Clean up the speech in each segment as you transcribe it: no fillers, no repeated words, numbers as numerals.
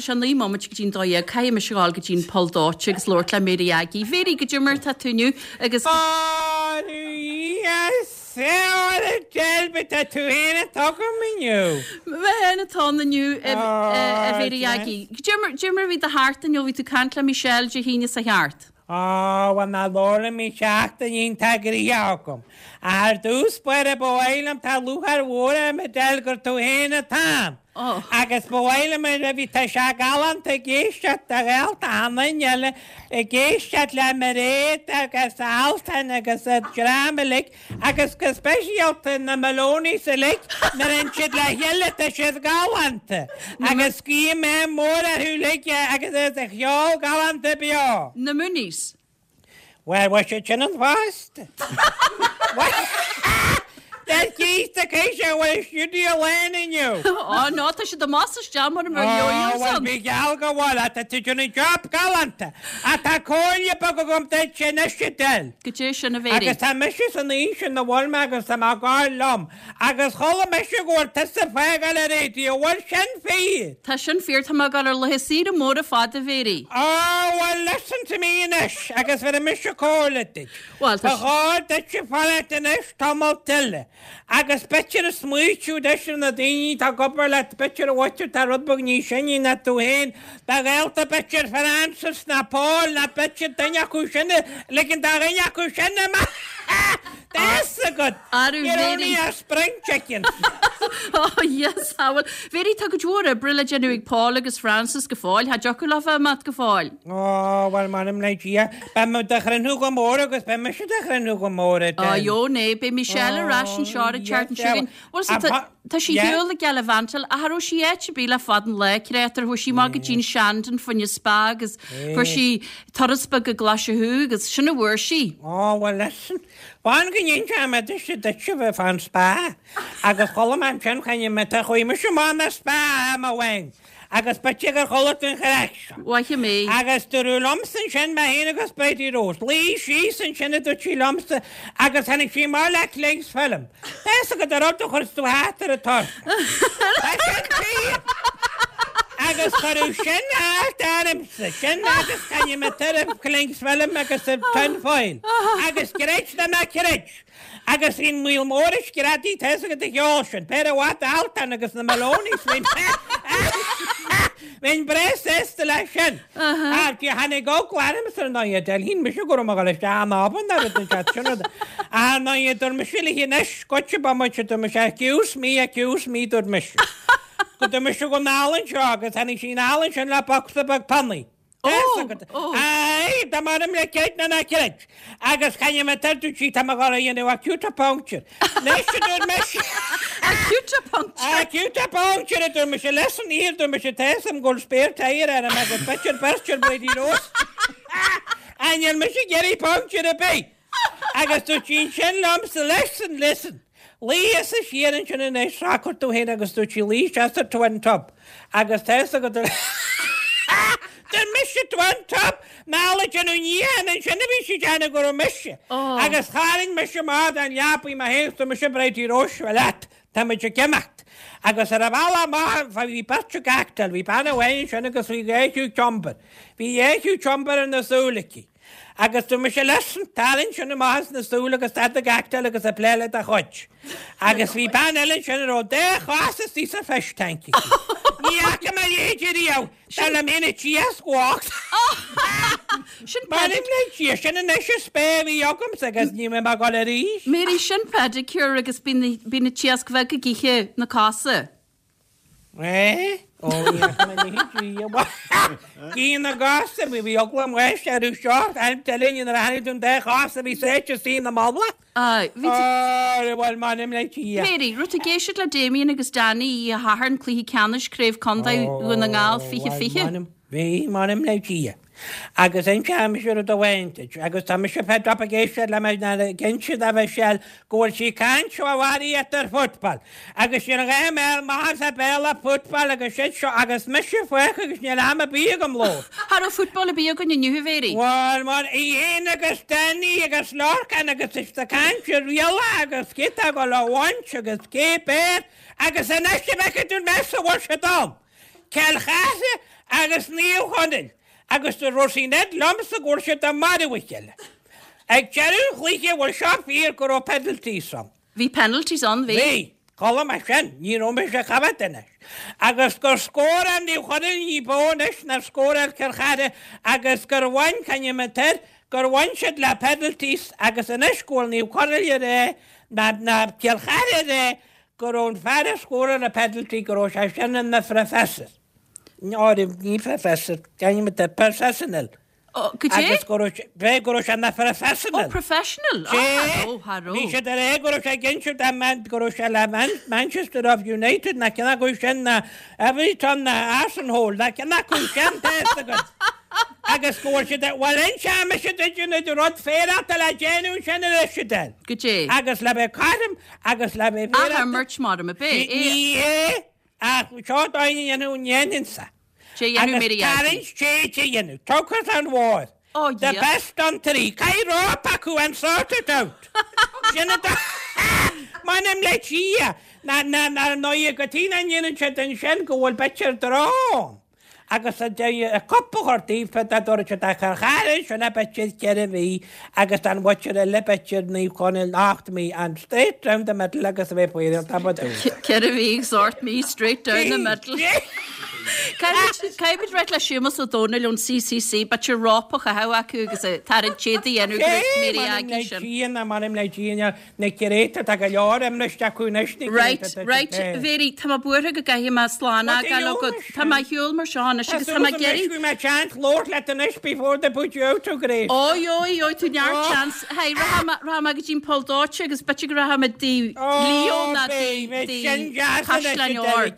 tá sé 9 mbomaite go dtí'n 12, caithfidh mise a ghabháil go dtí'n Poll Dóite agus labhairt le Mary Aggie. Mary, goidé mar atá tú inniu agus. Tá tú féin atá agam inniu. Mé féin atá ann inniu, a Mhary Aggie. Goidé mar, goidé mar a bhí do sheachtain inniu, bhí tú ag caint le Michelle Dé hAoine seo thart. Á, bhuel ná labhair liom, bhí seachtain iontach gnoitheach agam. Ach ar dtús báire ba mhaith liom, tá lúcháir mhór orm a Edel gur tú féin atá ann. Agus ba mhaith liom a bhí tá sé galánta ag éisteacht do ghaolta achan duine eile ag éisteacht le Mairéad agus Altan agus an dream uilig agus go speisialta na Maloneys uilig nuair a théann siad le chéile tá siad galánta agus guím ádh mór orthu uilig agus a cheol galánta beo. Na Mooneys. Bhuel, bhfuil siad sin ann fosta? Tá císte císte an bhfuil stiúideo lán inniu. Ó no, tá siad amach is isteach mar a mbeadh yo-yos Ó, bhuel, ann. bí geall go bhfuil, ach tá tú déanamh job galánta. Ach tá comhairle beag agam duit anois, Edel. Goidé sin, a Mhéirí. Agus tá mise san aois ina bhfuil mé agus tá mé ag gabháil liom. Agus chuala mise go bhfuil tusa ag fágáil an raidió, bhfuil sin fíor? Tá sin fíor, tá mé ag dul ar laetha saoire móra fada, a Mhéirí. Á, bhuel, listen to me anois agus bhéarfaidh mise comhairle duit. Bhuel, tá Ba chóir duitse fanacht anois tamalt eile agus b'fhéidir a smaoitiú anois ar na daoine atá ag obair leat, b'fhéidir a mhuintir atá rud beag níos sine ná tú féin, do ghaolta b'fhéidir Francis ná Paul ná b'fhéidir duine acu sin a ligean do dhuine acu sin amach. Tá fhios agat! Arú, You're only Mhéirí. a spring chicken! Oh yes, ah bhuel, Mhéirí, tá cuid mhór oibre le déanamh ag Paul agus Francis go fóill, cha dtiocfadh leo bheith imeacht go fóill. Ó, bhuel, m'anam le Dia, beidh mé do chruinniú go mór agus beidh mise do chruinniú go mór, a Á, Edel. jó, né, beidh Michelle ar ais anseo ar an tseachtain seo chugainn. Bhuel, so tá, tá sí ar shiúl ag gallivantáil, ach cha raibh sí áit ar bith le fada an lá, créatúr, chuaigh sí amach go dtí'n Shandon fá choinne spa agus fuair sí turas beag go Glaise Chú agus sin a bhfuair sí. Ó, bhuel, listen, fan go n-inseoidh mé duitse duitse bheith fán spa agus chuala mé ansin choinnigh mé, tá chuaigh mise amach na spa am amháin agus b'fhéidir gur chuala tú an chraic seo. Mhaith mé. Agus dúradh liomsa ansin, mé féin agus Bridie Rose, luigh síos ansin a dúirt sí liomsa agus tháinig sí amach le cling film. Tá fhios agat an rud a chuireas tú thart ar an tuirse. Tá sin fíor! Agus cuireadh sin thart ormsa, sin agus choinnigh mé tuairim cling film agus an tin foil. Agus creid nó ná creid! Agus bhí an maol mór ag screadaí, tá fhios agat an cheol sin, péire mhaith d'Altan agus na Maloneys, bhínn bhínn breá sásta leis sin. Ach tháinig eagla ormsa ar ndóigh, Edel, shíl mise go raibh mé ag dul isteach in obann nó rud inteacht, sin rud. Ach ar ndóigh, dúirt mise léi anois, goitse bomaite, dúirt mise, excuse me, excuse me, dúirt mise. Go dúirt mise go n-anall anseo agus tháinig sí anall ansin le bocsa beag pionnaí. Ó! Ó! Aye, dá m'anam le creid nó ná creid. Agus chan mé tar dúirt sí tá mé ag dul a dhéanamh acupuncture. Anois a dúirt mise. Acupuncture! Acupuncture a dúirt mise, listen here dúirt mise tá fhios agam go bhfuil spare tyre orm agus b'fhéidir beirt ar Bridie Rose. Ach níl mise ag iarraidh puncture ar bith. Agus dúirt sí ansin liomsa listen, listen. Luigh thusa siar ansin anois, socair tú féin agus dúirt sí luigh isteach sa twin tub agus tá fhios agat Dúirt mise twin tub! Anall ag déanamh níocháin ansin a bhí sí ag déanamh go raibh mise. Agus tharraing mise amach den leapaidh mé féin agus dúirt mise Bridie Rose, seo leat, tá muid ag imeacht. Agus ar an bhealach amach bhí beirt ag actáil, bhí bean amháin ansin agus bhí dhá chiúcumber. Bhí dhá chiúcumber ina súil aici. Agus dúirt mise listen, tarraing sin amach as na súil agus stad ag actáil agus ag plé le do chuid. Agus bhí bean eile ansin a raibh dá chos istigh sa fish tank aici. Ní fhaca mé a leithéid riamh, dar liom féin an t-iasc bocht. Sin M'anam le Dia, sin anois an spa a bhí agamsa agus ní bheidh mé ag dul arís. Mary, sin pedicure agus bíonn an t-iasc bheag ag ithe na cosa. Eh? Ó, ní fhaca mé a leithéid riamh. Gí na gcos, bhí bhí eagla an bháis orthu seo, I'm telling you, nuair a tháinig don dá chos a bhí sáite istigh ina mullach. Aye, bhí tú. Ó, bhuel, m'anam le Dia. Mary, raibh tú ag éisteacht le Damien agus Danny oíche Shathairn, Cluiche Ceannais Craobh Contae Dhún na nGall Ó, 20 bhuel, 20? m'anam, bhí, m'anam le Dia. Agus inseoidh mise rud amháin duit, agus tá mise fed up ag éisteacht le mé ag inse do Mhichelle go bhfuil sí ag caint ó bharraíocht ar football, agus níl a dhath i mbéal m'athar sa Bhéarla football agus shit seo agus mise fágtha agus níl am ar bith agam leo. Cha raibh football ar bith againn inniu, a Mhéirí. Bhuel, mar í fhéin agus Danny agus Lorcan agus is ag caint ar rialacha agus cé tá ag dul a bhaint agus cé b'fhearr agus anois a bhfeicfidh tú an mess a bhfuil siad ann. Cill Chartha. Agus Naomh Chonaill agus do raibh sí ned liomsa go bhfuil siad ag marú a chéile. Ag deireadh an chluiche bhfuil seo fíor go raibh penalties ann. Bhí penalties ann, bhí. Bhí. Chuala mé sin, ní raibh mise ag coimhéad anois. Agus gur scóráil Naomh Chonaill ní b'fhearr anois ná scóráil Cill Chartha agus gur bhain, c'ainm atá air, gur bhain siad le penalties agus anois go bhfuil Naomh Chonaill ag rá, ná, ná Cill Chartha ag rá go raibh an fear a scóráil an penalty go raibh sé sin ina phroifeasor. Ní professor, c'ainm atá air, professional. Ó, goidé? Agus go raibh sé, b'é go raibh sé ina phroifeasonal. Ó, professional! Á, cha raibh, cha raibh. Bhí siad ag rá go raibh sé ag inse dá man, go raibh sé le Man, Manchester of United ná ceann acu sin ná Everton ná Arsenal ná ceann acu sin, tá fhios agat. Agus go bhfuil siad, bhuel inseoidh mise duit an rud féarálta le déanamh ansin anois a Del. Goidé? Agus le bheith cothrom agus le bheith féarálta. Ath-imirt mar a b'é. Ní hé, ach seo dóigh a dhéanamh an ndéanfainnse. Dé dhéanamh Agus Mary Aggie. tarraingt téite a dhéanamh. Tugtha an mhóir. Ó The Dhia. best on tree. Caith rópa acu and sort it out. Sin an dóigh. M'anam le Dia. Na, na, na, ndóigh go tí nach ndéanann siad ansin go bhfuil b'fhéidir draw ann. Agus a deir a cup a chur daofa dá dtabharfadh siad a chur thairis sin b'fhéidir cheithre mhí agus don mhuintir eile b'fhéidir Naomh Conaill ocht mí and straight down the middle agus a bheith faoi tá ba dúil. Ceithre mhí agus ocht mí straight down the middle. Caithfimid ráit le Séamus Ó Domhnaill ón CCC, b'fhéidir rópa a chaitheamh acu agus tarraingt téad a dhéanamh go raibh Mary Aggie sin. Sé m'anam le Dia na créata tá go leor imriste acu anois na Right, right, Mary, tá mé buartha go gcaithfidh mé slán a fhágáil agat. Tá mé ar shiúl mar seo anois agus tá mé ag iarraidh. Bhí mé chance labhairt leat anois before they put you out of grace. Oi, oi, oi, tú neart chance. Hey, rachaidh mé, rachaidh mé go dtí an poll dóite agus b'fhéidir go rachaidh mé dtí Leo ná dtí Caisleán Óir.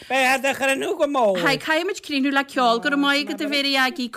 Beidh do chruinniú go mall. Hey, caithfimid críochnú le ceol, go raibh maith agat a Mhary Aggie.